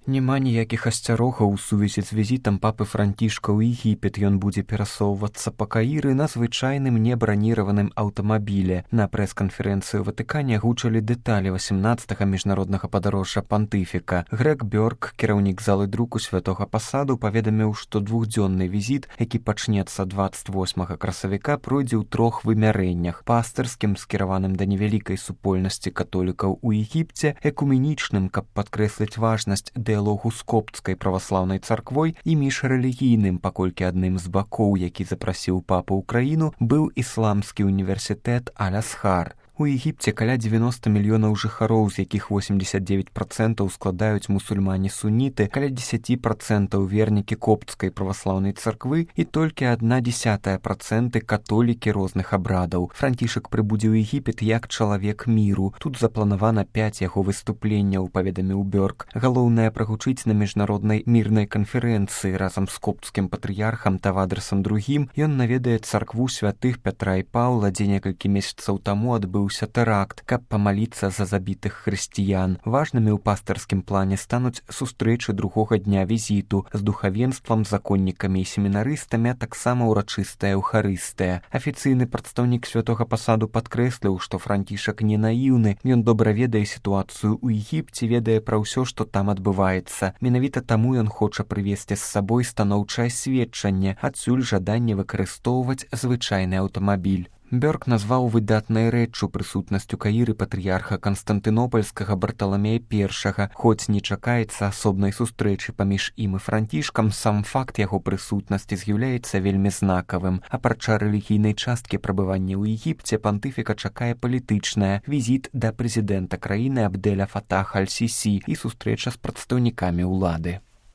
Няма ніякіх асцярогаў у сувязі з візітам папы Францішка ў Егіпет. Ён будзе перасоўвацца па Каіры на звычайным небраніраваным аўтамабіле. На прэс-канферэнцыі ў Ватыкане агучылі дэталі 18-га міжнароднага падарожжа пантыфіка. Грег Бёрк, кіраўнік залы друку Святога Пасаду, паведаміў, што двухдзённы візіт, які пачнецца 28 красавіка, пройдзе ў 3 вымярэннях: пастырскім, скіраваным да невялікай супольнасці католікаў у Егіпце, экуменічным, каб падкрэсліць важнасць дыялогу з копцкай праваслаўнай царквой, і міжрэлігійным, паколькі адным з бакоў, які запрасіў папу ў краіну, быў ісламскі універсітэт Аль-Азхар. У Егіпце каля 90 мільёнаў жыхароў, з якіх 89% складаюць мусульмане-суніты, каля 10% вернікі копцкай праваслаўнай царквы і толькі 0,1% католікі розных абрадаў. Францішак прыбудзе ў Егіпет як чалавек міру. Тут запланавана 5 яго выступленняў, паведаміў Бёрк. Галоўнае прагучыць на міжнароднай мірнай канферэнцыі разам з копцкім патрыярхам Тавадрасам II. Ён наведае царкву святых Пятра і Паўла, дзе некалькі месяцаў таму адбыўся тэракт, каб памаліцца за забітых хрысціян. Важнымі ў пастырскім плане стануць сустрэчы другога дня візіту з духавенствам, законнікамі і семінарыстамі, а таксама ўрачыстая эўхарыстыя. Афіцыйны прадстаўнік Святога Пасаду падкрэсліў, што Францішак не наіўны. Ён добра ведае сітуацыю ў Егіпце, ведае пра ўсё, што там адбываецца. Менавіта таму ён хоча прывесці з сабой станоўчае сведчанне, адсюль жаданне выкарыстоўваць звычайны аўтамабіль. Бёрк назваў выдатнай рэччу прысутнасць у Каіры патрыярха Канстантынопальскага Барталамея I. Хоць не чакаецца асобнай сустрэчы паміж ім і Францішкам, сам факт яго прысутнасці з'яўляецца вельмі знакавым. Апрача рэлігійнай часткі прабывання ў Егіпце, пантыфіка чакае палітычная: візіт да прэзідэнта краіны Абдэля Фатаха Аль-Сісі і сустрэча з прадстаўнікамі ўлады.